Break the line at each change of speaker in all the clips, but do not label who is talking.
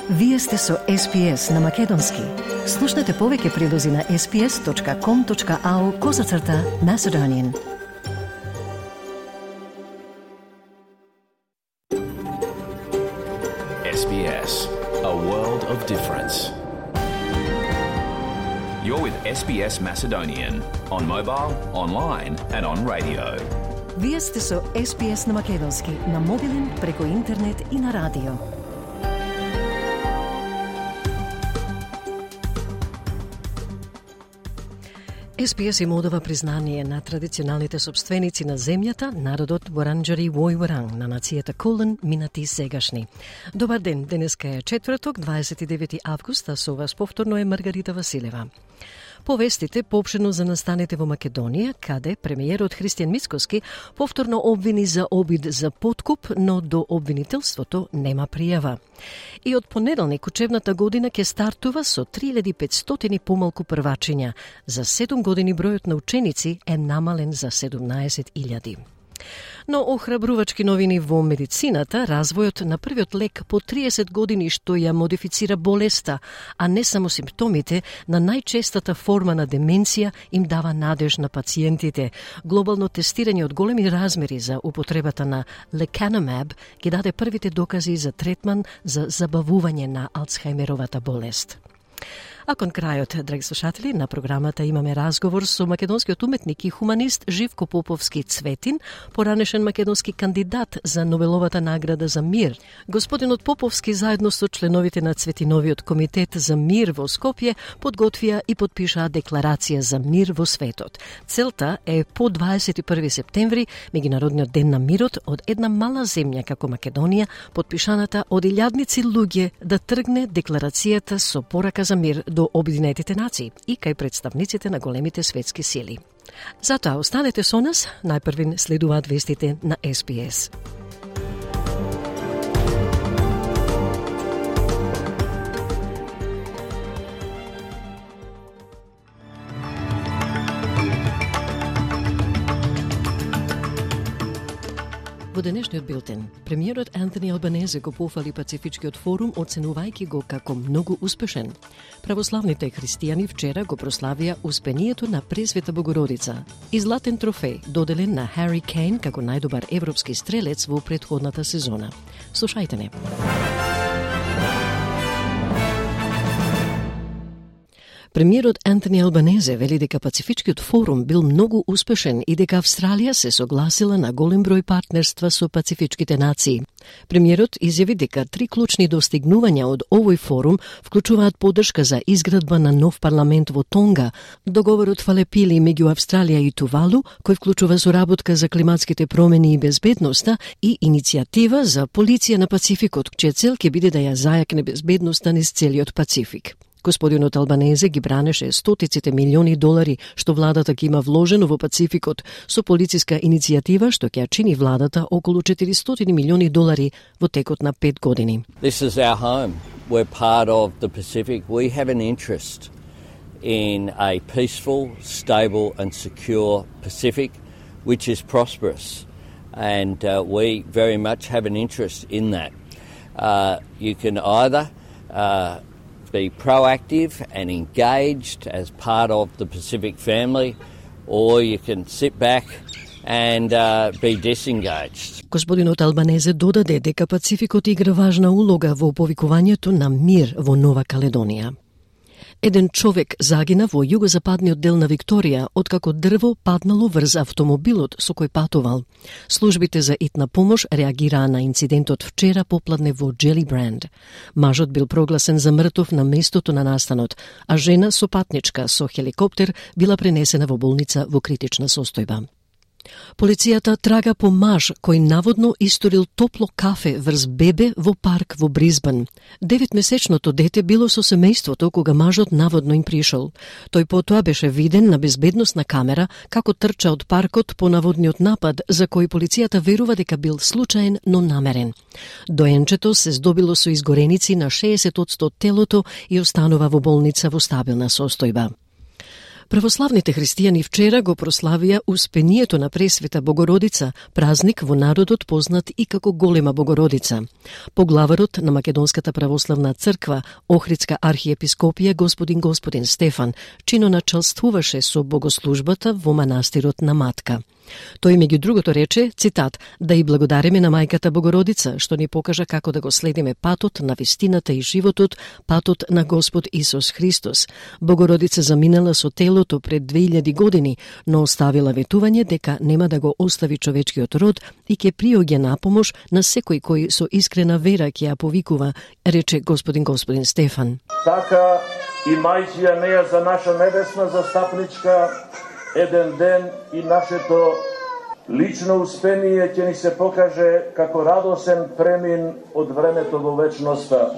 Вие сте со SPS на Македонски. Слушнете повеќе прилози на sps.com.au/Macedonian.
SBS, a world of difference. You're with SBS Macedonian on mobile, online and on radio.
Вие сте со SPS на Македонски на мобилен, преку интернет и на радио. SPS им одава признание на традиционалните собственици на земјата, народот Воранџари Војворанг на нацијата Кулен, минати и сегашни. Добар ден, денеска е четврток, 29 август, а со вас повторно е Маргарита Василева. Повестите поопшено за настаните во Македонија, каде премиерот Христијан Мицкоски повторно обвини за обид за подкуп, но до обвинителството нема пријава. И од понеделник учебната година ќе стартува со 3500 помалку првачиња. За 7 години бројот на ученици е намален за 17.000. Но охрабрувачки новини во медицината, развојот на првиот лек по 30 години што ја модифицира болеста, а не само симптомите на најчестата форма на деменција, им дава надеж на пациентите. Глобално тестирање од големи размери за употребата на Lecanemab ги даде првите докази за третман за забавување на Алцхајмеровата болест. А кон крајот, драги слушатели, на програмата имаме разговор со македонскиот уметник и хуманист Живко Поповски Цветин, поранешен македонски кандидат за Нобеловата награда за мир. Господинот Поповски заедно со членовите на Цветиновиот комитет за мир во Скопје подготвија и подпишаа декларација за мир во светот. Целта е по 21 септември, меѓународниот ден на мирот, од една мала земја како Македонија, подпишаната од илјадници луѓе, да тргне декларацијата со порака за мир до Обединетите нации и кај представниците на големите светски сили. Затоа останете со нас, најпрвин следуваат вестите на SPS. Во денешниот билтен, премиерот Антони Албанезе го пофали Пацифичкиот форум, оценувајќи го како многу успешен. Православните христијани вчера го прославија успението на Пресвета Богородица и златен трофеј доделен на Хари Кейн како најдобар европски стрелец во претходната сезона. Слушајте не. Премиерот Антони Албанезе вели дека Пацифичкиот форум бил многу успешен и дека Австралија се согласила на голем број партнерства со пацифичките нации. Премиерот изјави дека 3 клучни достигнувања од овој форум вклучуваат поддршка за изградба на нов парламент во Тонга, договорот Фалепили меѓу Австралија и Тувалу, кој вклучува соработка за климатските промени и безбедноста, и иницијатива за полиција на Пацификот, чија цел ќе биде да ја зајакне безбедноста низ целиот Пацифик. Господинот Албанезе ги бранеше стотиците милиони долари што владата ги има вложено во Пацификот со полициска иницијатива што ќе чини владата околу 400 милиони долари во текот на 5 години.
This is our home. We're part of the Pacific. We have an interest in a peaceful, stable and secure Pacific which is prosperous, and we very much have an interest in that. You can either be proactive and engaged as part of the Pacific family, or you can sit back and be disengaged.
Господинот Албанезе додаде дека Пацификот игра важна улога во повикувањето на мир во Нова Каледонија. Еден човек загина во југозападниот дел на Викторија откако дрво паднало врз автомобилот со кој патувал. Службите за итна помош реагираа на инцидентот вчера попладне во Джелибранд. Мажот бил прогласен за мртов на местото на настанот, а жена со патничка со хеликоптер била пренесена во болница во критична состојба. Полицијата трага по маж кој наводно историл топло кафе врз бебе во парк во Бризбен. 9-месечното дете било со семејството кога мажот наводно им пришол. Тој потоа беше виден на безбедносна камера како трча од паркот по наводниот напад за кој полицијата верува дека бил случаен, но намерен. Доенчето се здобило со изгореници на 60% од телото и останува во болница во стабилна состојба. Православните христијани вчера го прославија Успението на Пресвета Богородица, празник во народот познат и како Голема Богородица. Поглаварот на Македонската православна црква, Охридска архиепископија господин Стефан, чиноначалствуваше со богослужбата во манастирот на Матка. Тој меѓу другото рече, цитат, да и благодариме на Мајката Богородица, што ни покажа како да го следиме патот на вистината и животот, патот на Господ Исус Христос. Богородица заминала со телото пред 2000 години, но оставила ветување дека нема да го остави човечкиот род и ќе приоѓа на помош на секој кој со искрена вера ќе ја повикува, рече господин Стефан.
Така и мајчија неја за наша небесна застапничка, еден ден и нашето лично успение ќе ни се покаже како радосен премин од времето во вечноста.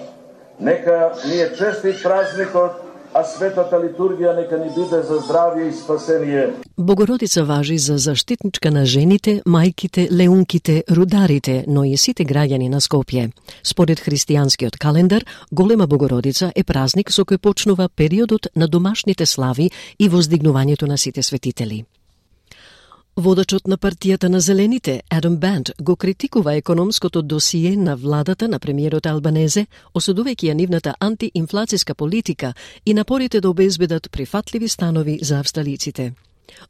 Нека ни е честит празникот, а светата литургија нека ни биде за здравје и спасение.
Богородица важи за заштитничка на жените, мајките, леунките, рударите, но и сите граѓани на Скопје. Според христијанскиот календар, Голема Богородица е празник со кој почнува периодот на домашните слави и воздигнувањето на сите светители. Водачот на партијата на Зелените, Адам Банд, го критикува економското досие на владата на премиерот Албанезе, осудувајќи ја нивната антиинфлацијска политика и напорите да обезбедат прифатливи станови за австралиците.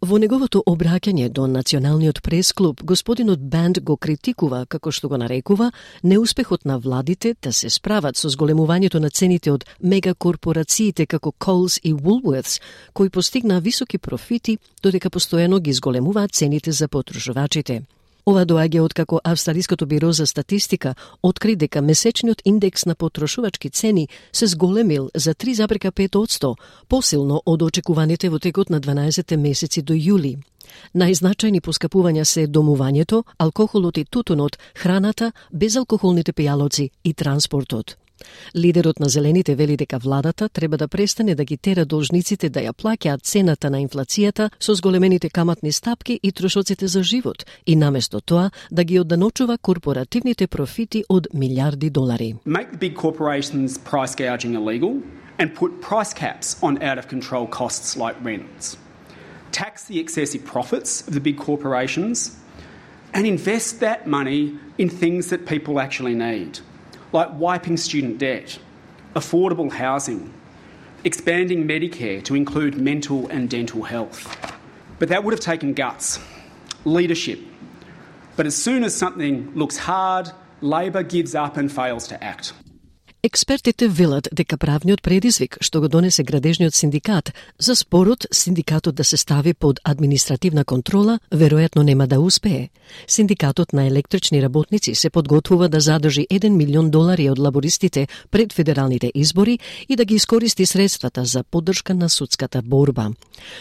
Во неговото обраќање до Националниот прес-клуб, господинот Банд го критикува, како што го нарекува, неуспехот на владите да се справат со зголемувањето на цените од мегакорпорациите како Coles и Woolworths, кои постигнаа високи профити, додека постојано ги зголемуваат цените за потрошувачите. Ова доаѓа откако Австралиското биро за статистика откри дека месечниот индекс на потрошувачки цени се зголемил за 3,5%, посилно од очекуваните во текот на 12 месеци до јули. Најзначајни поскапувања се домувањето, алкохолот и тутунот, храната, безалкохолните пијалоци и транспортот. Лидерот на Зелените вели дека владата треба да престане да ги тера должниците да ја плаќаат цената на инфлацијата со зголемените каматни стапки и трошоците за живот и наместо тоа да ги одданочува корпоративните профити од милиарди долари.
Make the big corporations price gouging illegal and put price caps on out of control costs like rents. Tax the excessive profits of the big corporations and invest that money in things that people actually need, like wiping student debt, affordable housing, expanding Medicare to include mental and dental health. But that would have taken guts, leadership. But as soon as something looks hard, Labor gives up and fails to act.
Експертите велат дека правниот предизвик што го донесе градежниот синдикат за спорот синдикатот да се стави под административна контрола веројатно нема да успее. Синдикатот на електрични работници се подготвува да задржи $1 милион од лабористите пред федералните избори и да ги искористи средствата за поддршка на судската борба.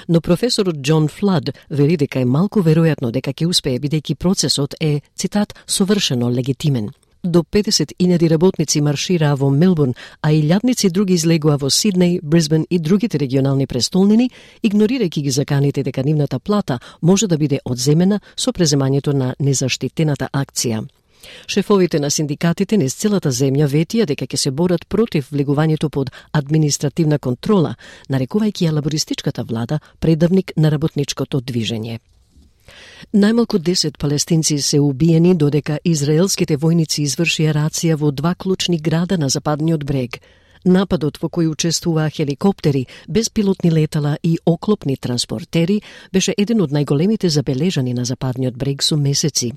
Но професорот Џон Флад вели дека е малку веројатно дека ќе успее бидејќи процесот е, цитат, совршено легитимен. До 50.000 работници маршираа во Мелбурн, а илјадници други излегува во Сиднеј, Брисбен и другите регионални престолнини, игнорирајќи ги заканите дека нивната плата може да биде одземена со преземањето на незаштитената акција. Шефовите на синдикатите низ целата земја ветија дека ќе се борат против влегувањето под административна контрола, нарекувајќи ја лабористичката влада предавник на работничкото движење. Најмалку 10 палестинци се убиени додека израелските војници извршија рација во 2 клучни града на западниот брег. Нападот во кој учествуваа хеликоптери, безпилотни летала и оклопни транспортери беше еден од најголемите забележани на западниот брег со месеци.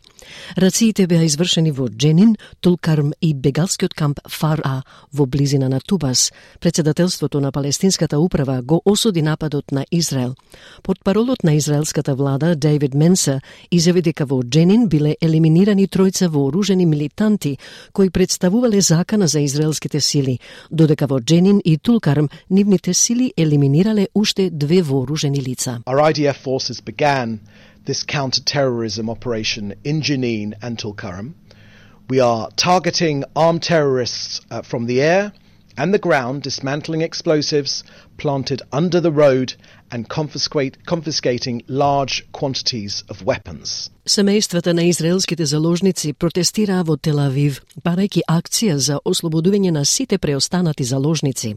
Рациите беа извршени во Дженин, Тулкарм и бегалскиот камп Фар-А во близина на Тубас. Председателството на палестинската управа го осуди нападот на Израел. Портпаролот на израелската влада Дейвид Менса изјави дека во Дженин биле елиминирани тројца вооружени милитанти кои представувале закана за израелските сили, додека во Дженин и Тулкарм нивните сили елиминирале уште 2 вооружени лица.
Our IDF forces began this counter-terrorism operation in Jenin and Tulkarm. We are targeting armed terrorists from the air and the ground, dismantling explosives planted under the road and confiscating large quantities of weapons.
Семејствата на израелските заложници протестираа во Тел Авив, барајќи акција за ослободување на сите преостанати заложници.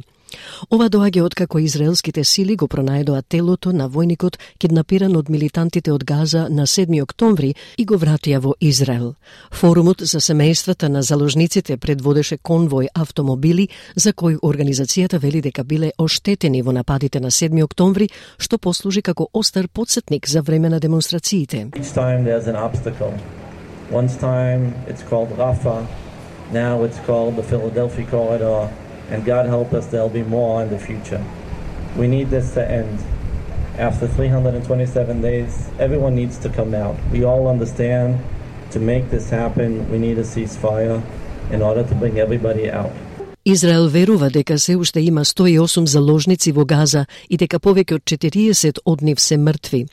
Ова доаѓа откако израелските сили го пронајдоа телото на војникот киднапиран од милитантите од Газа на 7 октомври и го вратија во Израел. Форумот за семејствата на заложниците предводеше конвој автомобили за кои организацијата вели дека биле оштетени во нападите на 7 октомври, што послужи како остар потсетник за време на демонстрациите.
Each time there's an obstacle. One time it's called Rafah, now it's called the Philadelphia Corridor. And God help us, there'll be more in the future. We need this to end. After 327 days, everyone needs to come out. We all understand to make this happen, we need a ceasefire in order to bring everybody out.
Израел верува дека се уште има 108 заложници во Газа и дека повеќе од 40 од нив се мртви.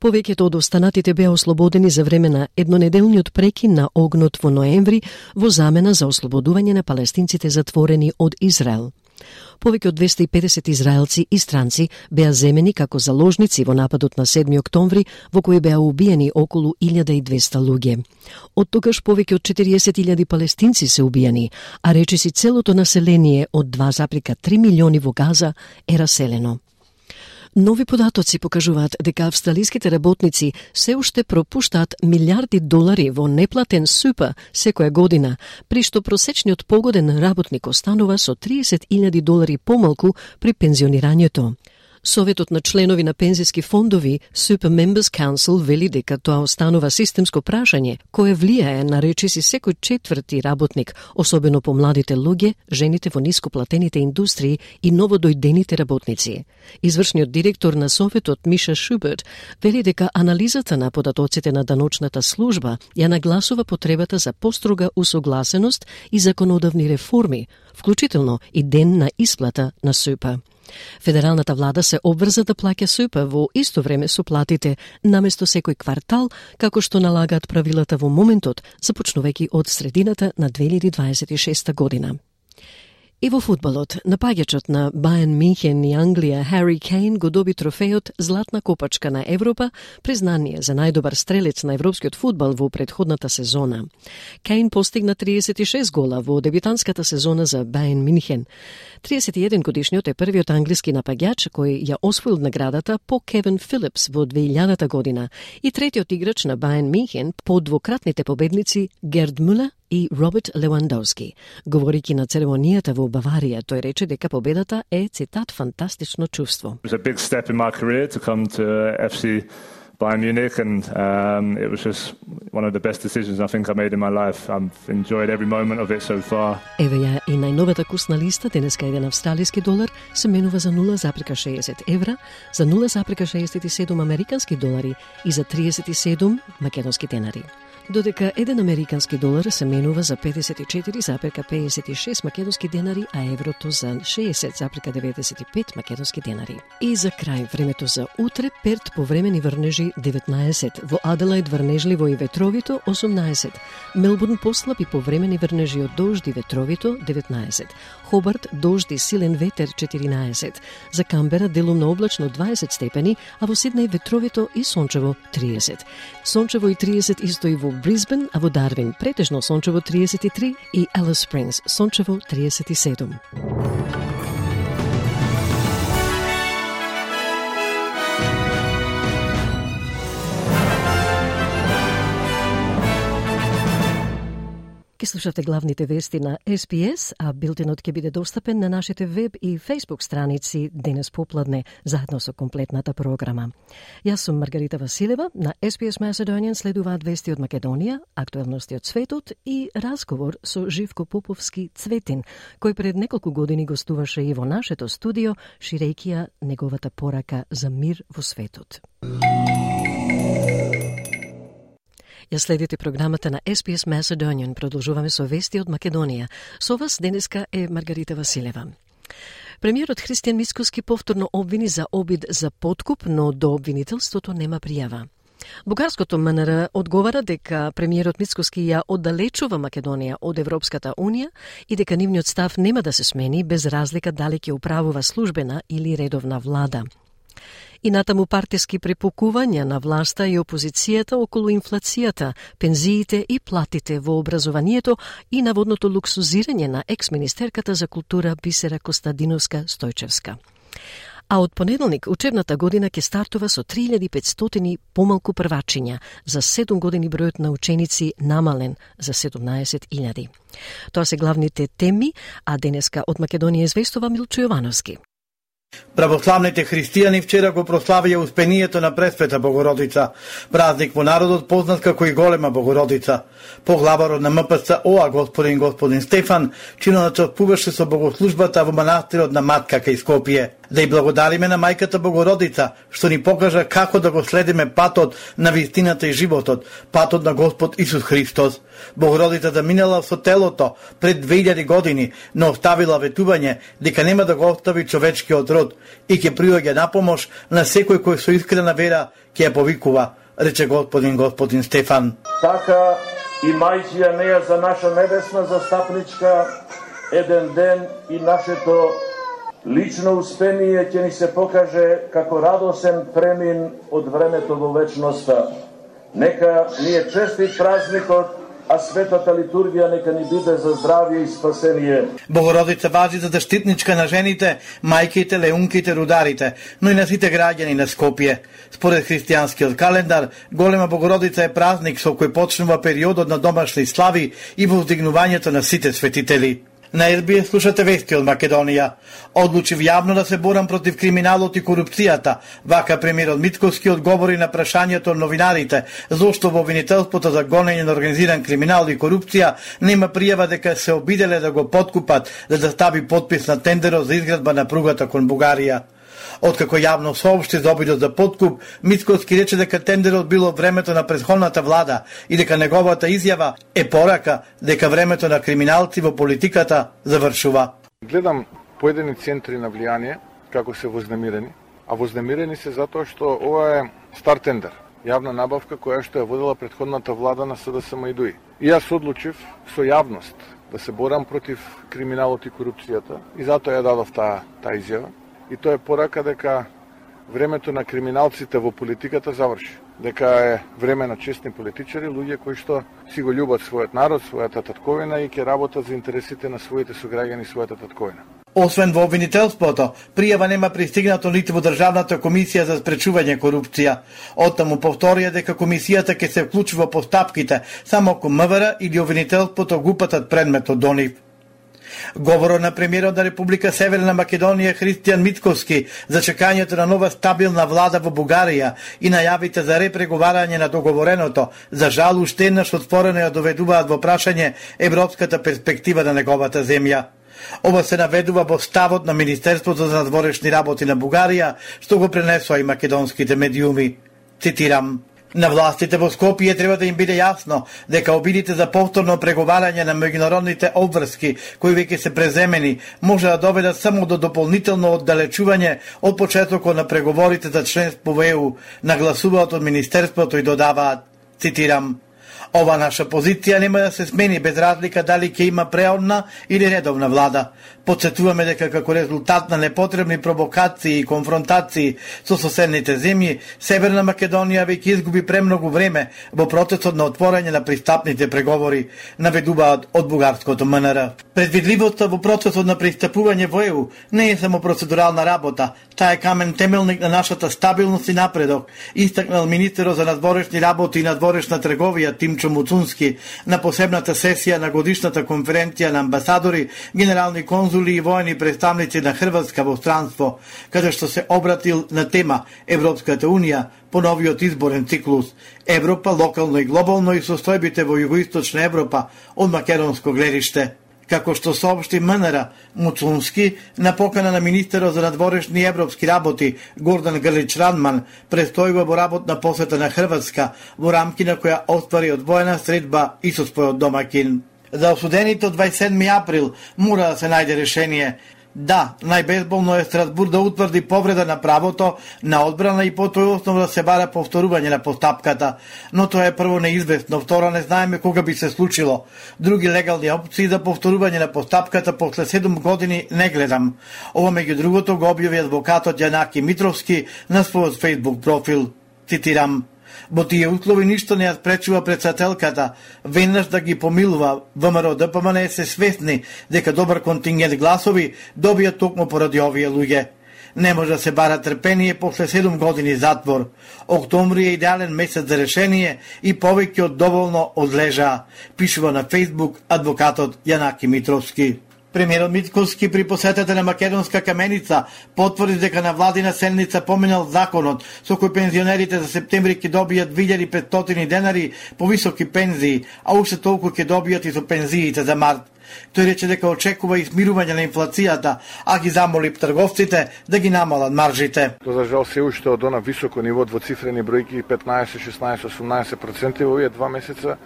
Повеќето од останатите беа ослободени за време на еднонеделниот прекин на огнот во ноември во замена за ослободување на палестинците затворени од Израел. Повеќе од 250 израелци и странци беа земени како заложници во нападот на 7 октомври, во кој беа убиени околу 1200 луѓе. Од тогаш повеќе од 40.000 палестинци се убиени, а речиси целото население од 2,3 милиони во Газа е раселено. Нови податоци покажуваат дека австралиските работници се уште пропуштаат милиарди долари во неплатен СУП секоја година, при што просечниот погоден работник останува со 30.000 долари помалку при пензионирањето. Советот на членови на пензиски фондови Super Members Council вели дека тоа останува системско прашање кое влијае на речиси секој четврти работник, особено по младите луѓе, жените во нископлатените индустрии и новодојдените работници. Извршниот директор на Советот Миша Шуберт вели дека анализата на податоците на даночната служба ја нагласува потребата за построга усогласеност и законодавни реформи, вклучително и ден на исплата на СУП. Федералната влада се обврза да плаќа СУП во исто време со платите наместо секој квартал, како што налагаат правилата во моментот, започнувајќи од средината на 2026 година. И во фудбалот, напаѓачот на Бајерн Мюнхен и Англија Хари Кейн го доби трофејот Златна копачка на Европа, признание за најдобар стрелец на европскиот фудбал во претходната сезона. Кейн постигна 36 гола во дебютантската сезона за Бајерн Мюнхен. 31 годишниот е првиот англиски напаѓач кој ја освоил наградата по Кевин Филипс во 2000 година и третиот играч на Бајерн Мюнхен по двократните победници Герд Мулер и Роберт Левандовски. Говорики на церемонијата во Баварија, тој рече дека победата е, цитат, фантастично чувство.
It was a big step in my career to come to FC Bayern Munich, and it was just one of the best decisions I think I made in my life. I've enjoyed every moment of it so far.
Еве ја и најновата курсна листа, денеска еден австралиски долар се менува за 0,60 евра, за 0,67 американски долари и за 37 македонски денари. Додека еден американски долар се менува за 54,56 македонски денари, а еврото за 60,95 македонски денари. И за крај, времето за утре, Перт повремени врнежи 19, во Аделајд врнежливо и ветровито 18, Мелбурн послаб и повремени врнежи од дожд и ветровито 19, Хобарт дожд и силен ветер 14, за Камбера делумно облачно 20 степени, а во Сиднеј ветровито и сончево 30. Сончево и 30 исто и во Брисбен, а во Дарвин претежно сончево 33 и Алис Спрингс сончево 37. Ке слушате главните вести на SPS, а билтенот ќе биде достапен на нашите веб и Facebook страници денес попладне, заедно со комплетната програма. Јас сум Маргарита Василева, на SPS Macedonian следуваат вести од Македонија, актуелности од светот и разговор со Живко Поповски Цветин, кој пред неколку години гостуваше и во нашето студио, ширејќи ја неговата порака за мир во светот. Ја следите програмата на SPS Macedonian. Продолжуваме со вести од Македонија. Со вас денеска е Маргарита Василева. Премиерот Христијан Мицкоски повторно обвини за обид за подкуп, но до обвинителството нема пријава. Бугарското МНР одговара дека премиерот Мицкоски ја оддалечува Македонија од Европската Унија и дека нивниот став нема да се смени без разлика дали ќе управува службена или редовна влада. И натаму партиски препукувања на власта и опозицијата околу инфлацијата, пензиите и платите во образованието и наводното луксузирање на екс-министерката за култура Бисера Костадиновска-Стојчевска. А од понеделник учебната година ќе стартува со 3500 помалку првачиња, за 7 години бројот на ученици намален за 17.000. Тоа се главните теми, а денеска од Македонија известува Милчо Јовановски.
Православните христијани вчера го прославија успението на Пресвета Богородица, празник во народот познат како и Голема Богородица. Поглаварот на МПЦ ОА господин Стефан чиноначествуваше со богослужбата во манастирот на Матка кај Скопје. Да и благодариме на Мајката Богородица, што ни покажа како да го следиме патот на вистината и животот, патот на Господ Исус Христос. Богородицата минала со телото пред 2000 години, но оставила ветување дека нема да го остави човечкиот род и ќе приоѓа на помош на секој кој со искрена вера ќе ја повикува, рече господин Стефан.
Така и мајчија неја за наша небесна застапничка, еден ден и нашето лично успение ќе ни се покаже како радосен премин од времето во вечноста. Нека ни е честит празникот, а светата литургија нека ни биде за здравје и спасение.
Богородица важи за заштитничка на жените, мајките, леунките, рударите, но и на сите граѓани на Скопје. Според христијанскиот календар, Голема Богородица е празник со кој почнува периодот на домашни слави и воздигнувањето на сите светители. На СБС слушате вести од Македонија. Одлучив јавно да се борам против криминалот и корупцијата. Вака премиерот Мицковски одговори на прашањето од новинарите зошто во обвинителството за гонење на организиран криминал и корупција нема пријава дека се обиделе да го поткупат за да стави подпис на тендерот за изградба на пругата кон Бугарија. Откако јавно соопшти за обидот за подкуп, Мицковски рече дека тендерот бил од времето на претходната влада и дека неговата изјава е порака дека времето на криминалци во политиката завршува.
Гледам поедини центри на влијание како се вознемирени, а вознемирени се затоа што ова е стар тендер, јавна набавка која што ја водела претходната влада на СДСМ и ДУИ. И јас одлучив со јавност да се борам против криминалот и корупцијата и затоа ја дадов таа изјава. И тоа е порака дека времето на криминалците во политиката заврши. Дека е време на честни политичари, луѓе кои што си го љубат својот народ, својата татковина и ќе работат за интересите на своите сограѓани, својата татковина.
Освен во обвинителството, пријава нема пристигнато ниту во Државната комисија за спречување корупција. Оттаму повторија дека комисијата ќе се вклучува во постапките само ако МВР или обвинителството го упатат предметот до нив. Говорот на премиерот на Република Северна Македонија Христијан Мицковски за чекањето на нова стабилна влада во Бугарија и најавите за репреговарање на договореното, за жал уште еднаш отворено ја доведуваат во прашање европската перспектива на неговата земја. Ова се наведува во ставот на Министерството за надворешни работи на Бугарија, што го пренесоа и македонските медиуми. Цитирам: на властите во Скопје треба да им биде јасно дека обидите за повторно преговарање на меѓународните обврски кои веќе се преземени може да доведат само до дополнително оддалечување од почетокот на преговорите за членство во ЕУ, нагласуваат од Министерството и додаваат, цитирам: ова наша позиција нема да се смени без разлика дали ќе има преодна или редовна влада. Подсетуваме дека како резултат на непотребни провокации и конфронтации со соседните земји, Северна Македонија веќе изгуби премногу време во процесот на отворање на пристапните преговори, наведуваат од бугарското МНР. Предвидливоста во процесот на пристапување во ЕУ не е само процедурална работа, таа е камен темелник на нашата стабилност и напредок, истакнал министерот за надворешни работи и надворешна трговија Тимчо Муцунски на посебната сесија на годишната конференција на амбасадори, генерални конзули и воени представници на Хрватска во странство, каде што се обратил на тема Европската Унија по новиот изборен циклус Европа локално и глобално и состојбите во југоисточна Европа од македонско гледиште. Како што соопшти МНР, Муцунски на покана на министерот за надворешни европски работи Гордан Грлич Радман престојува во работна посета на Хрватска во рамки на која оствари одвоена средба и со својот домакин. За осудените од 27. април мора да се најде решение. Да, најбезболно е Страсбур да утврди повреда на правото на одбрана и по тој основ да се бара повторување на постапката, но тоа е прво неизвестно, второ не знаеме кога би се случило. Други легални опции за повторување на постапката после 7 години не гледам. Ова меѓу другото го објави адвокатот Јанаки Митровски на својот Facebook профил. Цитирам: "Во тие услови ништо не ја спречува председателката веднаш да ги помилува. ВМРО ДПМН се свесни дека добар контингент гласови добија токму поради овие луѓе. Не може да се бара трпение после 7 години затвор. Октомври е идеален месец за решение и повеќе од доволно одлежаа", пишува на Facebook адвокатот Јанаки Митровски. Премиерот Мицкоски при посетата на Македонска Каменица потврди дека на владина седница поминал законот со кој пензионерите за септември ќе добијат 2500 денари повисоки пензии, а уште толку ќе добијат и со пензиите за март. Тој рече дека очекува измирување на инфлацијата, а ги замоли трговците да ги намалат маржите.
Тоа за жал се уште од она високо ниво двоцифрени бројки 15, 16, 18% во овие 2 месеца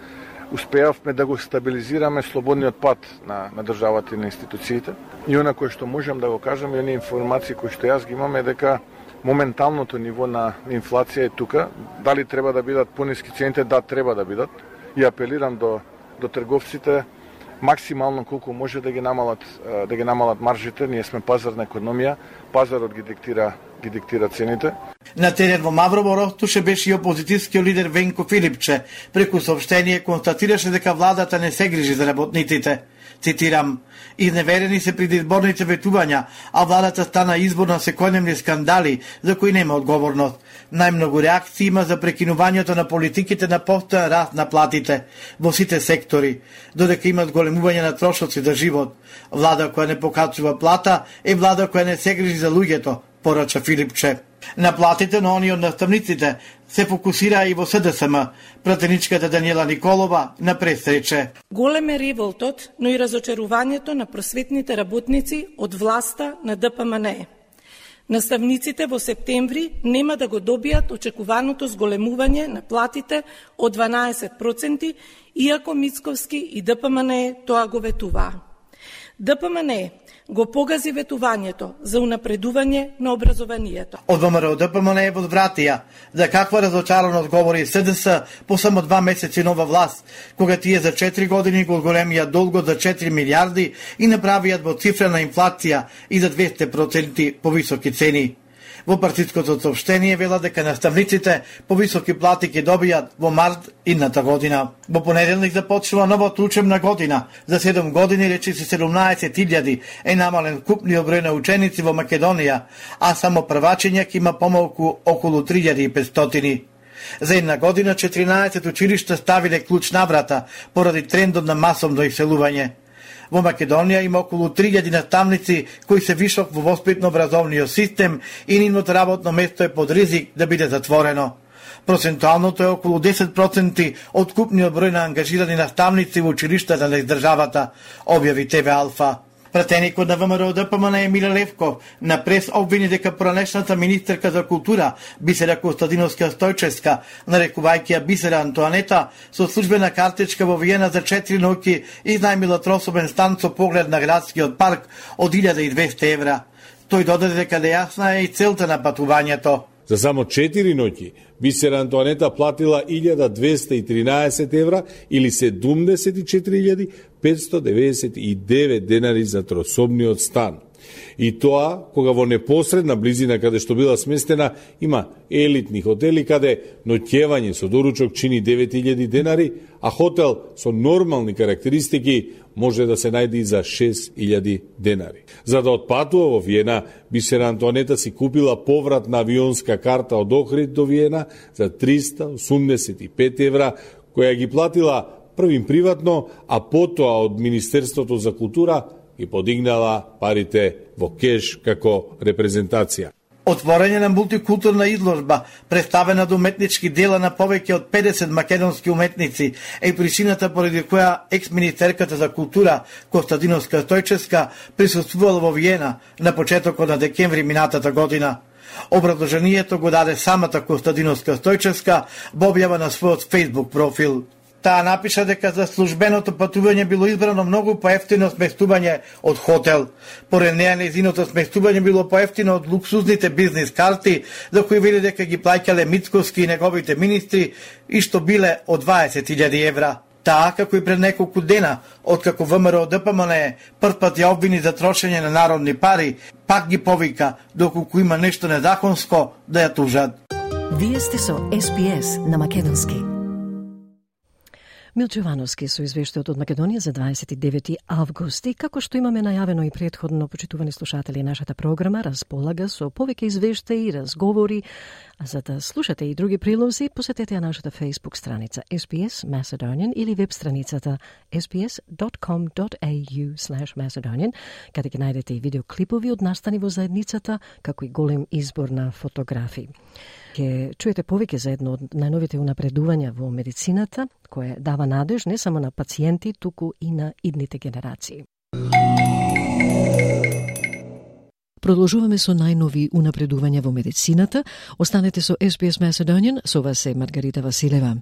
успеавме да го стабилизираме слободниот пат на државата и на институциите. И она кое што можам да го кажам, и оние информации кои што јас ги имам е дека моменталното ниво на инфлација е тука. Дали треба да бидат пониски цените? Да, треба да бидат. И апелирам до трговците максимално колку може да ги намалат маржите. Ние сме пазарна економија, пазарот ги диктира цените.
На терен во Маврово Ростуше беше и опозицијскиот лидер Венко Филипче. Преку соопштение констатираше дека владата не се грижи за работниците. Цитирам: "Изневерени се предизборните ветувања, а владата стана избор на секојдневни скандали за кои нема одговорност. Најмногу реакции има за прекинувањето на политиките на постојан раст на платите во сите сектори, додека има зголемување на трошоци за живот. Влада која не покачува плата е влада која не се грижи за луѓето", порача Филипче. На платите на оние од наставниците се фокусира и во СДСМ. Пратеничката Даниела Николова на пресрече:
"Голем е револтот, но и разочарувањето на просветните работници од власта на ДПМН. Наставниците во септември нема да го добијат очекуваното зголемување на платите од 12%, иако Мицковски и ДПМН тоа го ветуваа. ДПМН го погази ветувањето за унапредување на образованието."
Од ВМРО ДПМН возвратија за каква разочараност говори СДС по само 2 месеци нова власт, кога тие за 4 години го големија долгот за 4 милиарди и направија двоцифрена инфлација и за 200% повисоки цени. Во партиското соопштение вела дека наставниците повисоки плати ќе добијат во март идната година. Во понеделник започнува новата учебна година. За 7 години речиси 17.000 е намален купниот број на ученици во Македонија, а само првачења ќе има помалку околу 3500. За една година 14 училишта ставиле клуч на врата поради трендот на масовно иселување. Во Македонија има околу 3000 наставници кои се вишок во воспитно-образовниот систем и нивното работно место е под ризик да биде затворено. Процентуалното е околу 10% од купниот број на ангажирани наставници во училиштата на државата, објави ТВ Алфа. Пратеникот на ВМРО ДПМН Емиле Левков на прес обвини дека поранешната министерка за култура Бисера Костадиновска Стојчевска, нарекувајќи ја Бисера Антоанета, со службена картичка во Виена за 4 ноќи изнајмила трособен стан со поглед на градскиот парк од 1200 евра. Тој додаде дека нејасна е и целта на патувањето.
За само 4 ноќи Бисера Антоанета платила 1213 евра или 74.599 денари за трособниот стан. И тоа кога во непосредна близина каде што била сместена има елитни хотели каде ноќевање со доручок чини 9000 денари, а хотел со нормални карактеристики може да се најде и за 6000 денари. За да отпатува во Виена, Бисера Антоанета си купила повратна авионска карта од Охрид до Виена за 385 евра, која ги платила првим приватно, а потоа од Министерството за култура и подигнала парите во кеш како репрезентација.
Отворање на мултикултурна изложба, представена до уметнички дела на повеќе од 50 македонски уметници, е причината поради која екс-министерката за култура Костадиновска Стојчевска присуствувала во Виена на почетокот на декември минатата година. Образложението го даде самата Костадиновска Стојчевска во објава на својот Facebook профил. Таа напиша дека за службеното патување било избрано многу поевтино сместување од хотел. Поред неа нејзиното сместување било поевтино од луксузните бизнис карти, за кои вели дека ги плаќале Мицковски и неговите министри и што биле од 20.000 евра. Таа, како и пред неколку дена, откако ВМРО ДПМН првпат ја обвини за трошење на народни пари, пак ги повика, доколку има нешто незаконско, да ја тужат.
Вие сте со СПС на Македонски. Милчо Јовановски со извештајот од Македонија за 29 август. И како што имаме најавено и претходно, почитувани слушатели, нашата програма располага со повеќе извештаи и разговори. А за да слушате и други прилози, посетете ја нашата Facebook страница SPS Macedonian или веб страницата sps.com.au/Macedonian, каде ќе најдете и видеоклипови од настани во заедницата, како и голем избор на фотографии. Ќе чуете повеќе за едно од најновите унапредувања во медицината, кое дава надеж не само на пациенти, туку и на идните генерации. Продолжуваме со најнови унапредувања во медицината. Останете со SPS Macedonian, со вас е Маргарита Василева.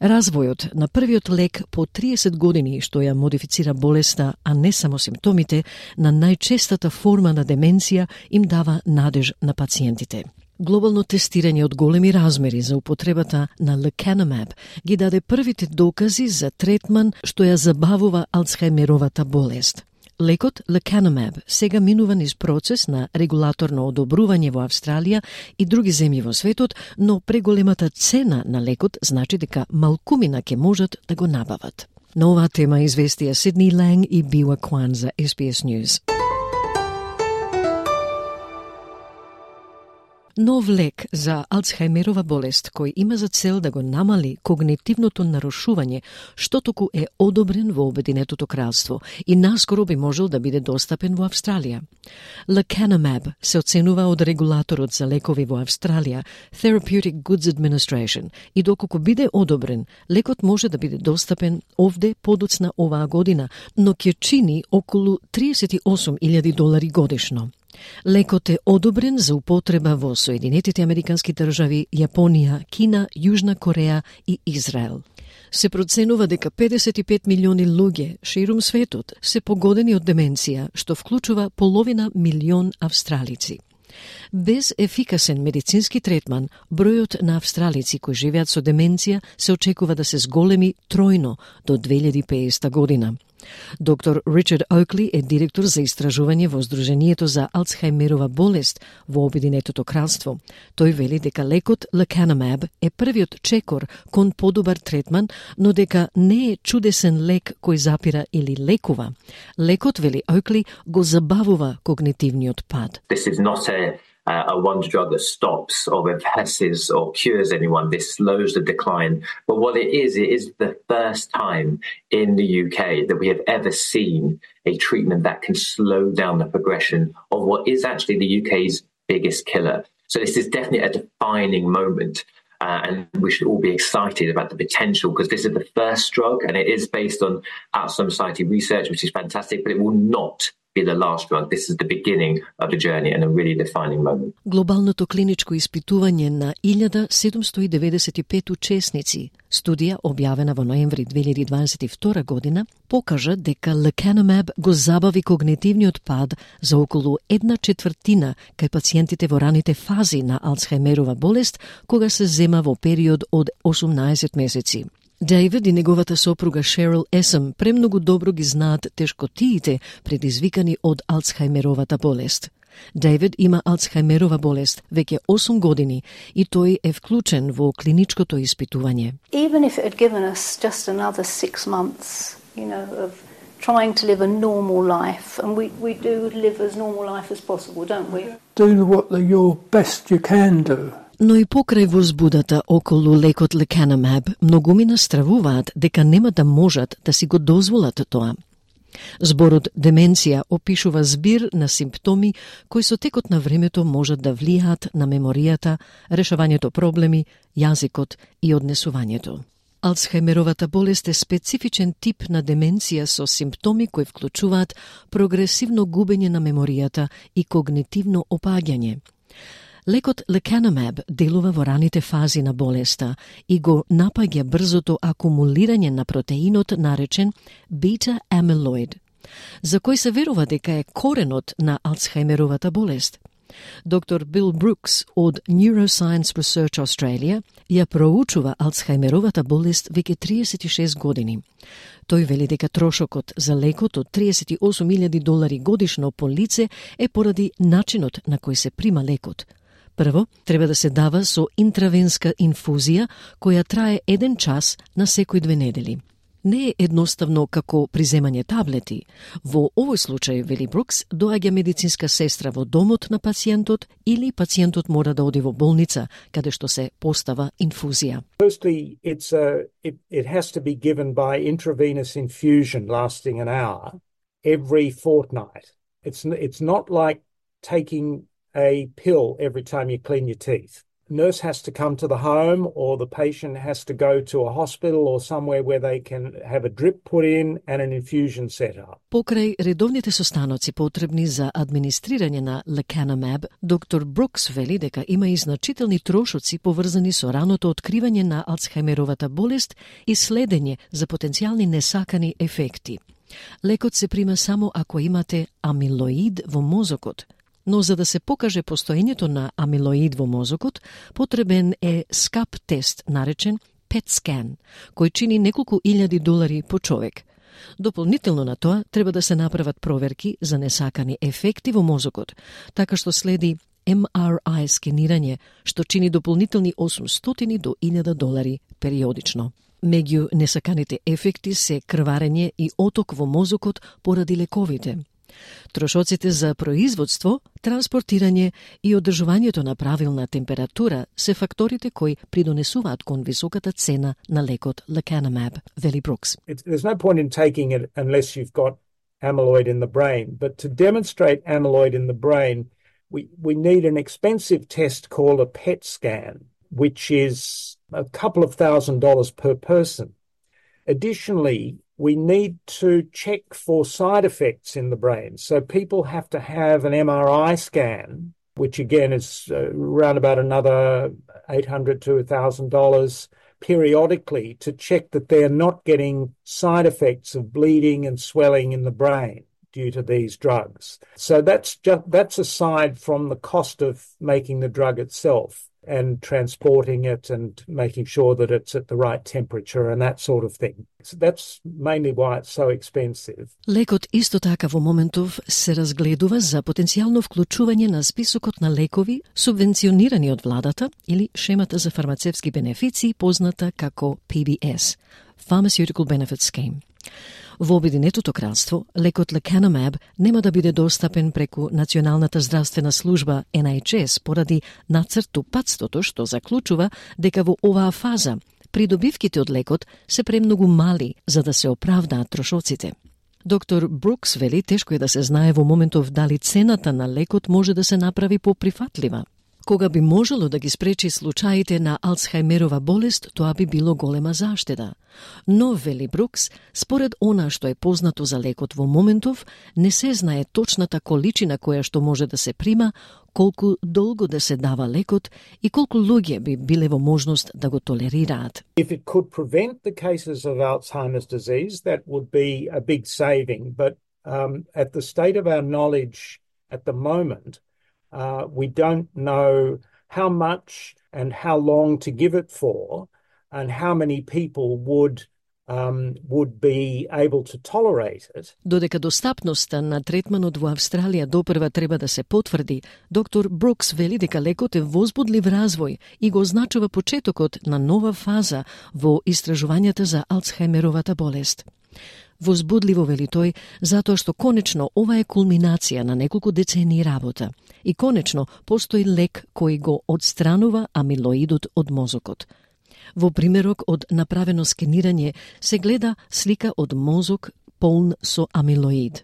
Развојот на првиот лек по 30 години што ја модифицира болеста, а не само симптомите, на најчестата форма на деменција им дава надеж на пациентите. Глобално тестирање од големи размери за употребата на Lecanemab ги даде првите докази за третман што ја забавува Алцхајмеровата болест. Лекот Lecanemab сега минува низ процес на регулаторно одобрување во Австралија и други земји во светот, но преголемата цена на лекот значи дека малкумина ќе можат да го набават. На оваа тема известија Сидни Ланг и Биwa Kwan за SBS News. Нов лек за Алцхајмерова болест, кој има за цел да го намали когнитивното нарушување, што току е одобрен во Обединетото кралство и наскоро би можел да биде достапен во Австралија. Lecanemab се оценува од регулаторот за лекови во Австралија, Therapeutic Goods Administration, и доколку биде одобрен, лекот може да биде достапен овде подоцна оваа година, но ќе чини околу $38,000 годишно. Лекот е одобрен за употреба во Соединетите Американски држави, Јапонија, Кина, Јужна Кореја и Израел. Се проценува дека 55 милиони луѓе ширум светот се погодени од деменција, што вклучува половина милион австралици. Без ефикасен медицински третман, бројот на австралици кои живеат со деменција се очекува да се зголеми тројно до 2050 година. Доктор Ричард Оукли е директор за истражување во Сдруженијето за Алцхајмерова болест во Обединетото кралство. Тој вели дека лекот Lecanemab е првиот чекор кон подобар третман, но дека не е чудесен лек кој запира или лекува. Лекот, вели Оукли, го забавува когнитивниот пад.
This is not a wonder drug that stops or reverses or cures anyone. This slows the decline. But what it is the first time in the UK that we have ever seen a treatment that can slow down the progression of what is actually the UK's biggest killer. So this is definitely a defining moment. And we should all be excited about the potential because this is the first drug and it is based on Alzheimer's Society research, which is fantastic, but it will not be the last drug. This is the beginning of the journey and a really defining moment.
Глобалното клиничко испитување на 1795 учесници, студија објавена во ноември 2022 година, покажа дека Lecanemab го забави когнитивниот пад за околу 1/4 кај пациентите во раните фази на Алцхајмерова болест, кога се зема во период од 18 месеци. Дейвид и неговата сопруга Шерил Есъм премногу добро ги знаат тешкотиите предизвикани од Алцхајмеровата болест. Дейвид има Алцхајмерова болест веќе 8 години и тој е вклучен во клиничкото испитување.
Even if it had given us just another 6 months, of trying to live a normal life, and we do live as normal life as possible, don't we?
Do what your best you can do.
Но и покрај возбудата околу лекот Lecanemab, многумина стравуваат дека нема да можат да си го дозволат тоа. Зборот деменција опишува збир на симптоми кои со текот на времето можат да влијаат на меморијата, решавањето проблеми, јазикот и однесувањето. Алцхајмеровата болест е специфичен тип на деменција со симптоми кои вклучуваат прогресивно губење на меморијата и когнитивно опаѓање. Лекот lecanemab делува во раните фази на болеста и го напаѓа брзото акумулирање на протеинот наречен бета-амилоид, за кој се верува дека е коренот на Алцхаймеровата болест. Доктор Бил Брукс од Neuroscience Research Australia ја проучува Алцхаймеровата болест веќе 36 години. Тој вели дека трошокот за лекот од $38,000 годишно по лице е поради начинот на кој се прима лекот. Прво, треба да се дава со интравенска инфузија која трае 1 час на секој 2 недели. Не е едноставно како приземање таблети. Во овој случај, вели Брукс, доаѓа медицинска сестра во домот на пациентот или пациентот мора да оди во болница, каде што се постава инфузија.
Firstly, it has to be given by intravenous infusion lasting an hour every fortnight. It's not like taking a pill every time you clean your teeth. Nurse has to come to the home or the patient has to go to a hospital or somewhere where they can have a drip put in and an infusion set up.
Покрај редовните состаноци потребни за администрирање на lecanemab, доктор Брукс вели дека има и значителни трошоци поврзани со раното откривање на Алцхаймеровата болест и следење за потенцијални несакани ефекти. Лекот се прима само ако имате амилоид во мозокот, но за да се покаже постоењето на амилоид во мозокот, потребен е скап тест наречен PET scan, кој чини неколку $1,000 по човек. Дополнително на тоа, треба да се направат проверки за несакани ефекти во мозокот, така што следи MRI скенирање, што чини дополнителни $800 до $1,000 периодично. Меѓу несаканите ефекти се крварење и оток во мозокот поради лековите. Трошоците за производство, транспортирање и одржувањето на правилна температура се факторите кои придонесуваат кон високата цена на лекот lecanemab, вели Брукс.
There's no point in taking it unless you've got amyloid in the brain, but to demonstrate amyloid in the brain, we need an expensive test called a PET scan, which is a couple of $1,000s per person. Additionally, we need to check for side effects in the brain. So people have to have an MRI scan, which again is around about another $800 to $1,000 periodically to check that they're not getting side effects of bleeding and swelling in the brain due to these drugs. So that's aside from the cost of making the drug itself and transporting it and making sure that it's at the right temperature and that sort of thing. So that's mainly why it's so expensive.
Лекот исто така во моментов се разгледува за потенцијално вклучување на списокот на лекови субвенционирани од владата или шемата за фармацевски бенефиции позната како PBS, Pharmaceutical Benefit Scheme. Во Обединетото кралство, лекот lecanemab нема да биде достапен преку Националната здравствена служба NHS поради нацртупатството што заклучува дека во оваа фаза придобивките од лекот се премногу мали за да се оправдаат трошоците. Доктор Брукс вели тешко е да се знае во моментов дали цената на лекот може да се направи поприфатлива. Кога би можело да ги спречи случаите на Алцхаймерова болест, тоа би било голема заштеда. Но, вели Брукс, според она што е познато за лекот во моментов, не се знае точната количина која што може да се прима, колку долго да се дава лекот и колку луѓе би биле во можност да го толерираат.
If it could prevent the cases of Alzheimer's disease, that would be a big saving. But at the state of our knowledge at the moment, we don't know how much and how long to give it for and how many people would be able to tolerate it.
Додека достапноста на третманот во Австралија допрва треба да се потврди, доктор Брукс вели дека лекот е возбудлив развој и го означува почетокот на нова фаза во истражувањата за Алцхаймеровата болест. Возбудливо, вели тој, затоа што конечно ова е кулминација на неколку децении работа и конечно постои лек кој го одстранува амилоидот од мозокот. Во примерок од направено скенирање се гледа слика од мозок полн со амилоид.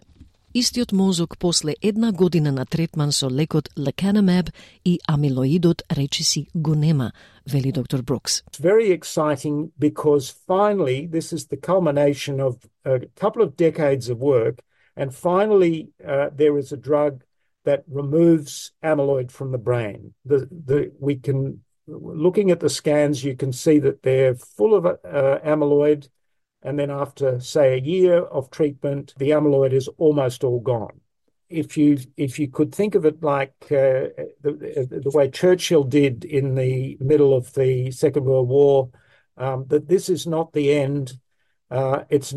Истиот мозок после 1 година на третман со лекот lecanemab и амилоидот речиси го нема, вели доктор Брукс.
It's very exciting because finally this is the culmination of a couple of decades of work and finally there is a drug that removes amyloid from the brain. Looking at the scans, you can see that they're full of amyloid, and then after, say, a year of treatment, the amyloid is almost all gone. If you could think of it like the way Churchill did in the middle of the Second World War, that this is not the end. It's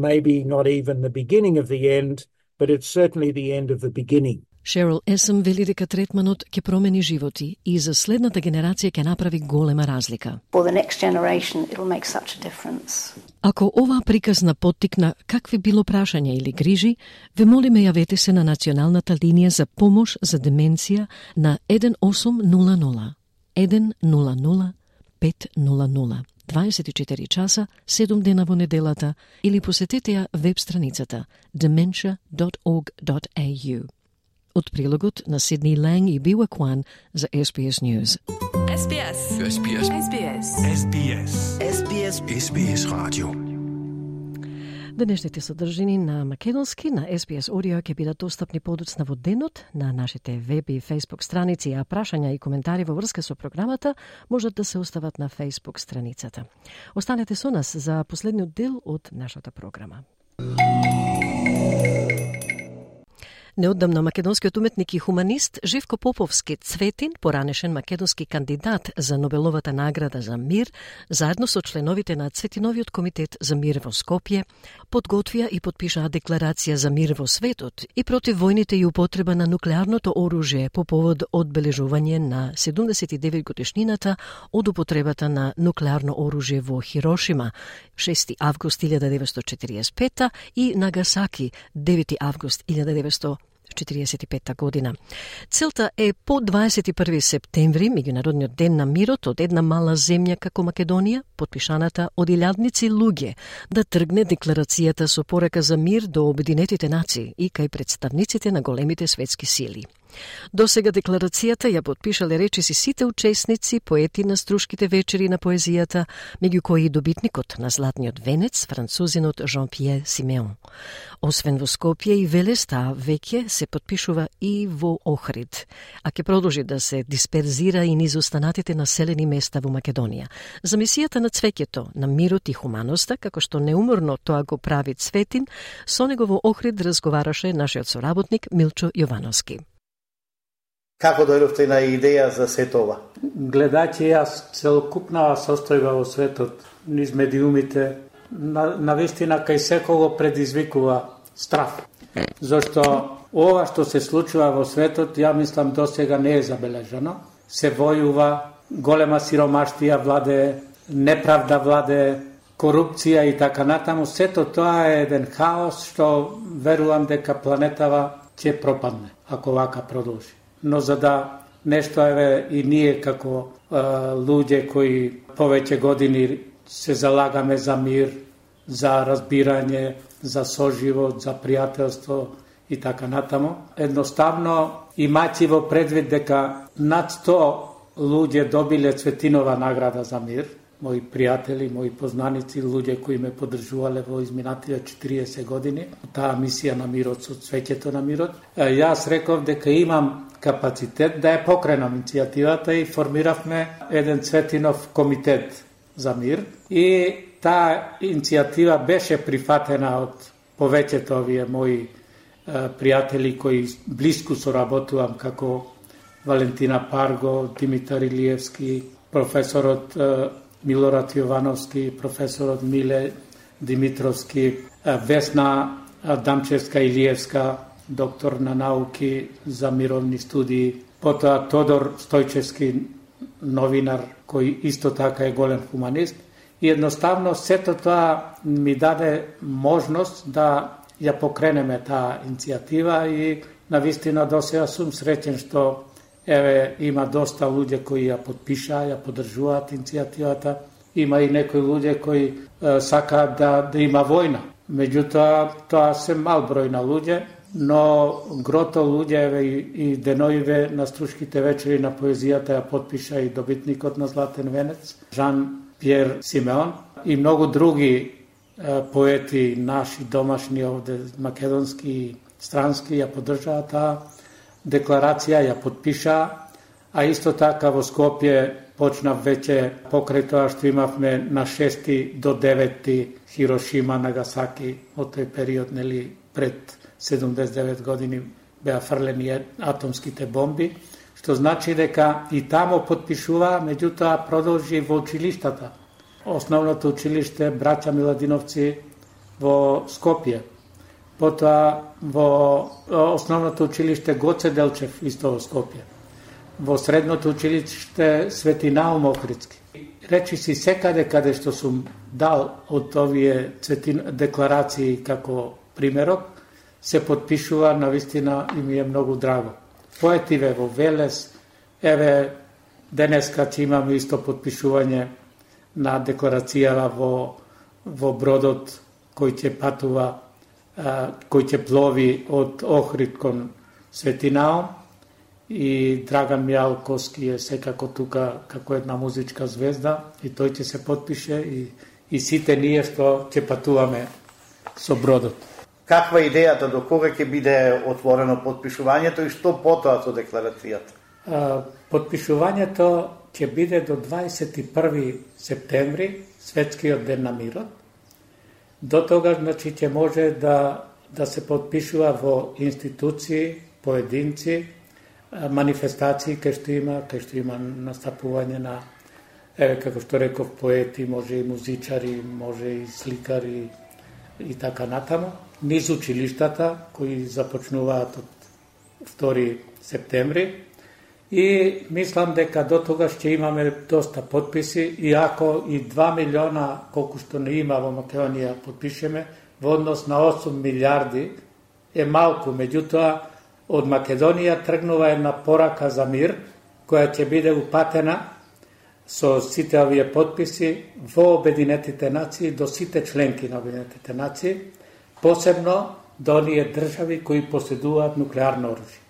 maybe not even the beginning of the end, but it's certainly the end of the beginning.
Шерил Есъм вели дека третманот ќе промени животи и за следната генерација ќе направи голема разлика.
For the next generation, it'll make such a difference.
Ако оваа приказна поттикна какви било прашања или грижи, ве молиме јавете се на националната линија за помош за деменција на 1800 100 500. 24 часа, 7 дена во неделата, или посетете ја веб страницата dementia.org.au. Од прилогот на Сидни Ланг и Била Кван за SBS News.
SBS. SBS. SBS. SBS. SBS. SBS Radio.
Денешните содржини на македонски на SBS Audio ќе бидат достапни подоцна во денот на нашите веб и Facebook страници, а прашања и коментари во врска со програмата можат да се остават на Facebook страницата. Останете со нас за последниот дел од нашата програма. Неодамно македонскиот уметник и хуманист Живко Поповски Цветин, поранешен македонски кандидат за Нобеловата награда за мир, заедно со членовите на Цветиновиот комитет за мир во Скопје, подготвија и подпишаа декларација за мир во светот и против војните и употреба на нуклеарното оружје по повод одбележување на 79 годишнината од употребата на нуклеарно оружје во Хирошима, 6 август 1945 и Нагасаки, 9 август 1945 година. Целта е по 21 септември, меѓународниот ден на мирот, од една мала земја како Македонија, подпишаната од илјадници луѓе, да тргне декларацијата со порака за мир до Обединетите нации и кај представниците на големите светски сили. До сега декларацијата ја подпишале речиси сите учесници, поети на струшките вечери на поезијата, меѓу кои и добитникот на Златниот венец, французинот Жан-Пиер Симеон. Освен во Скопје и Велес, таа веќе се подпишува и во Охрид, а ќе продолжи да се дисперзира и низ останатите населени места во Македонија. За мисијата на цвеќето, на мирот и хуманоста, како што неуморно тоа го прави Цветин, со него во Охрид разговараше нашиот соработник Милчо Јовановски.
Како дојдовте на идеја за сето ова?
Гледачи, јас целокупна состојба во светот, низ медиумите, навистина кај секого предизвикува страф. Зашто ова што се случува во светот, ја мислам досега не е забележано. Се војува, голема сиромаштија владе, неправда владе, корупција и така натаму. Сето тоа е еден хаос што верувам дека планетава ќе пропадне, ако вака продолжи. Но за да нешто и ние како луѓе кои повеќе години се залагаме за мир, за разбирање, за соживот, за пријателство и така натаму, едноставно имајќи во предвид дека над 100 луѓе добиле Цветинова награда за мир, мои пријатели, мои познаници, луѓе кои ме поддржувале во изминатите 40 години, таа мисија на мирот со цвеќето на мирот, јас реков дека имам капацитет да ја покренам иницијативата и формиравме еден Цветинов комитет за мир и таа иницијатива беше прифатена од повеќето овие мои пријатели кои блиску соработувам, како Валентина Парго, Димитар Илиевски, професорот Милорад Јовановски, професорот Миле Димитровски, Весна Дамчевска Илиевска, доктор на науки за мировни студии, потоа Тодор Стојчевски, новинар, кој исто така е голем хуманист. И едноставно сето тоа ми даде можност да ја покренеме таа иницијатива и навистина досега сум среќен што има доста луѓе кои ја подпишаа, ја поддржуваат иницијативата. Има и некои луѓе кои сакаат да има војна. Меѓутоа, тоа се мал број на луѓе, но грото луѓе и деноиве на струшките вечери на поезијата ја подпиша и добитникот на Златен венец, Жан-Пиер Симеон, и многу други поети наши домашни овде, македонски и странски, ја поддржаа таа декларација ја подпиша, а исто така во Скопје почна веќе покрај тоа што имавме на 6 до 9 Хирошима, Нагасаки, од тој период, нели, пред 79 години беа фрлени атомските бомби, што значи дека и тамо подпишува, меѓутоа продолжи во училиштата. Основното училиште Браќа Миладиновци во Скопје, потоа во основното училиште Гоце Делчев исто во Скопје, во средното училиште Свети Наум Охридски. Речи си секаде каде што сум дал од овие декларации како примерок, се подпишува, навистина и ми е многу драго. Поетиве во Велес, еве денеска ќе имаме исто подпишување на декларацијава во бродот кој ќе патува, кој ќе плови од Охрид кон Свети Наум, и Драган Мијалковски е секако тука како една музичка звезда и тој ќе се подпише и сите ние што ќе патуваме со бродот.
Каква е идејата, до кога ќе биде отворено подпишувањето и што потоа со декларацијата?
Подпишувањето ќе биде до 21 септември, Светскиот ден на мирот. До тога, значи, ќе може да се подпишува во институции, поединци, манифестации кај што има настапување на, еве како што реков, поети, може и музичари, може и сликари и така натаму, низ училиштата кои започнуваат од 2 септември и мислам дека до тогаш ќе имаме доста подписи, иако и 2 милиона колку што не има во Македонија подпишеме, во однос на 8 милиарди е малку, меѓутоа од Македонија тргнува една порака за мир, која ќе биде упатена со сите овие подписи во Обединетите нации, до сите членки на Обединетите нации, посебно до оние држави кои поседуваат нуклеарно оружје.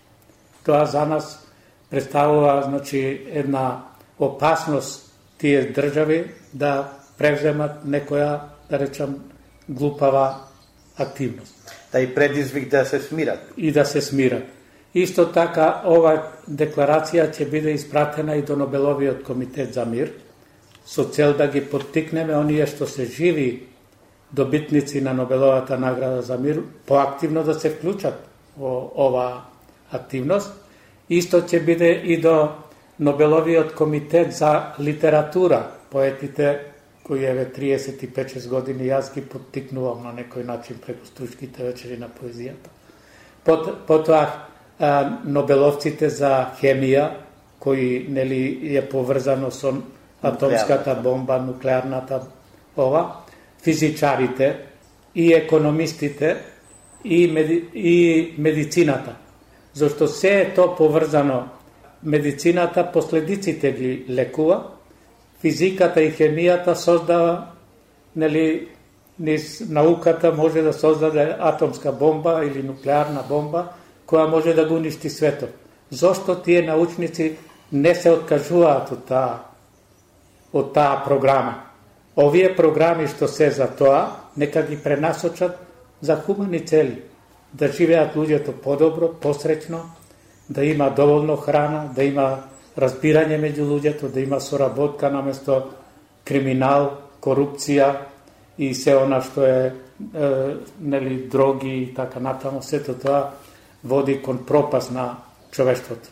Тоа за нас представува, значи, една опасност тие држави да превземат некоја, да речам, глупава активност.
Да и предизвик да се смират.
И да се смират. Исто така, ова декларација ќе биде испратена и до Нобеловиот комитет за мир, со цел да ги поттикнеме оние што се живи добитници на Нобеловата награда за мир, поактивно да се вклучат во ова активност. Исто ќе биде и до Нобеловиот комитет за литература, поетите кои еве 35-6 години јас ги поттикнувам на некој начин преку Стужките вечери на поезијата. Потоа Нобеловците за хемија, кои нели е поврзано со атомската бомба, нуклеарната ова, физичарите и економистите и медицината. Зашто се е то поврзано, медицината последиците ги лекува, физиката и хемијата создава, нели, низ науката може да создаде атомска бомба или нуклеарна бомба, која може да го уништи светот. Зошто тие научници не се откажуваат од таа програма? Овие програми што се за тоа, нека ги пренасочат за хумани цели, да живеат луѓето подобро, посреќно, да има доволно храна, да има разбирање меѓу луѓето, да има соработка наместо криминал, корупција и се она што е нели дроги и така натаму, сето тоа води кон пропаст на човештвото.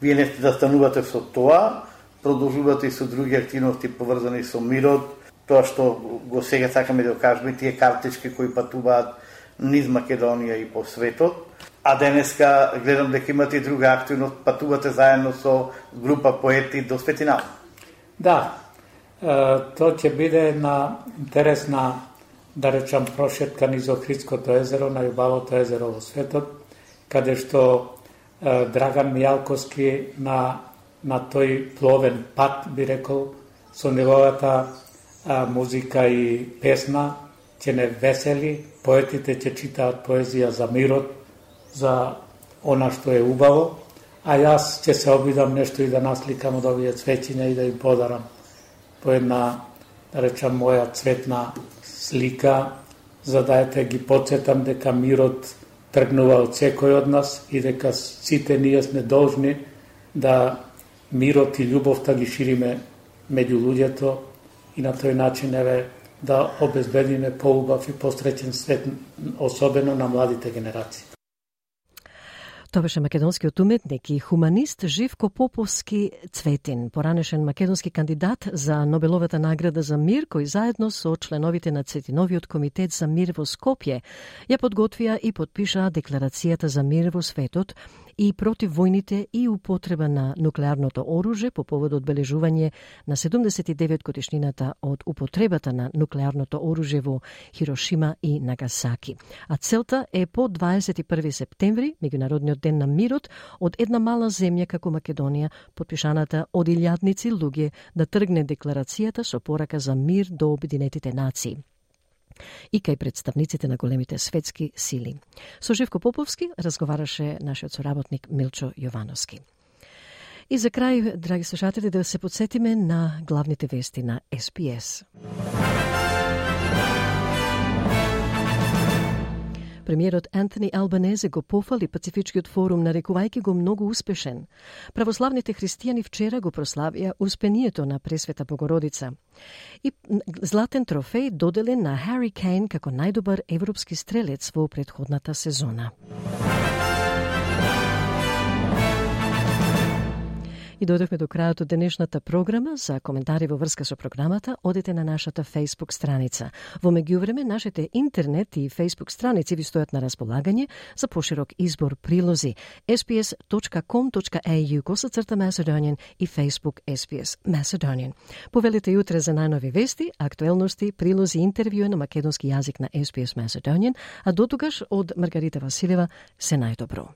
Вие не сте да станувате со тоа, продолжувате и со други активности поврзани со мирот, тоа што го сега сакаме да кажеме, тие картички кои патуваат низ Македонија и по светот, а денеска гледам дека имате и друга активност, патувате заедно со група поети до Свети Наум. Да, тоа ќе биде една интересна, да речам, прошетка низ Охридското езеро, најубавото езеро во светот, каде што Драган Мијалковски на тој пловен пат, би рекол, со неговата музика и песна, ќе не весели, поетите ќе читаат поезија за мирот, за она што е убаво, а јас ќе се обидам нешто и да насликам од овие цвеќиња и да им подарам по една, да речам, моја цветна слика, за да ги подсетам дека мирот
тргнува од секој од нас и дека сите ние сме должни да мирот и љубовта ги шириме меѓу луѓето и на тој начин да обезбедиме поубав и посреќен свет, особено на младите генерации.
Тоа беше македонскиот уметник и хуманист Живко Поповски Цветин, поранешен македонски кандидат за Нобеловата награда за мир, кој заедно со членовите на Цветиновиот комитет за мир во Скопје ја подготвија и подпишаа Декларацијата за мир во светот и против војните и употреба на нуклеарното оружје по повод одбележување на 79 годишнината од употребата на нуклеарното оружје во Хирошима и Нагасаки. А целта е по 21 септември, меѓународниот ден на мирот, од една мала земја како Македонија, подпишаната од илјадници луѓе, да тргне декларацијата со порака за мир до Обединетите нации и кај представниците на големите светски сили. Со Живко Поповски разговараше нашиот соработник Милчо Јовановски. И за крај, драги слушатели, да се подсетиме на главните вести на SPS. Премиерот Антони Албанезе го пофали Пацифичкиот форум, нарекувајќи го многу успешен. Православните христијани вчера го прославија успението на Пресвета Богородица. И златен трофеј доделен на Хари Кейн како најдобар европски стрелец во претходната сезона. И дојдовме до крајот од денешната програма. За коментари во врска со програмата, одете на нашата Facebook страница. Во меѓувреме, нашите интернет и Facebook страници ви стојат на располагање за поширок избор прилози sbs.com.au/Macedonian и Facebook SBS Macedonian. Повелете јутре за најнови вести, актуелности, прилози и интервјуи на македонски јазик на SBS Macedonian, а дотогаш од Маргарита Василева се најдобро.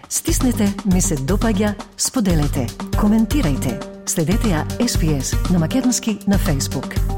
Стиснете, ми се допаѓа, споделете, коментирајте. Следете ја SPS на македонски на Facebook.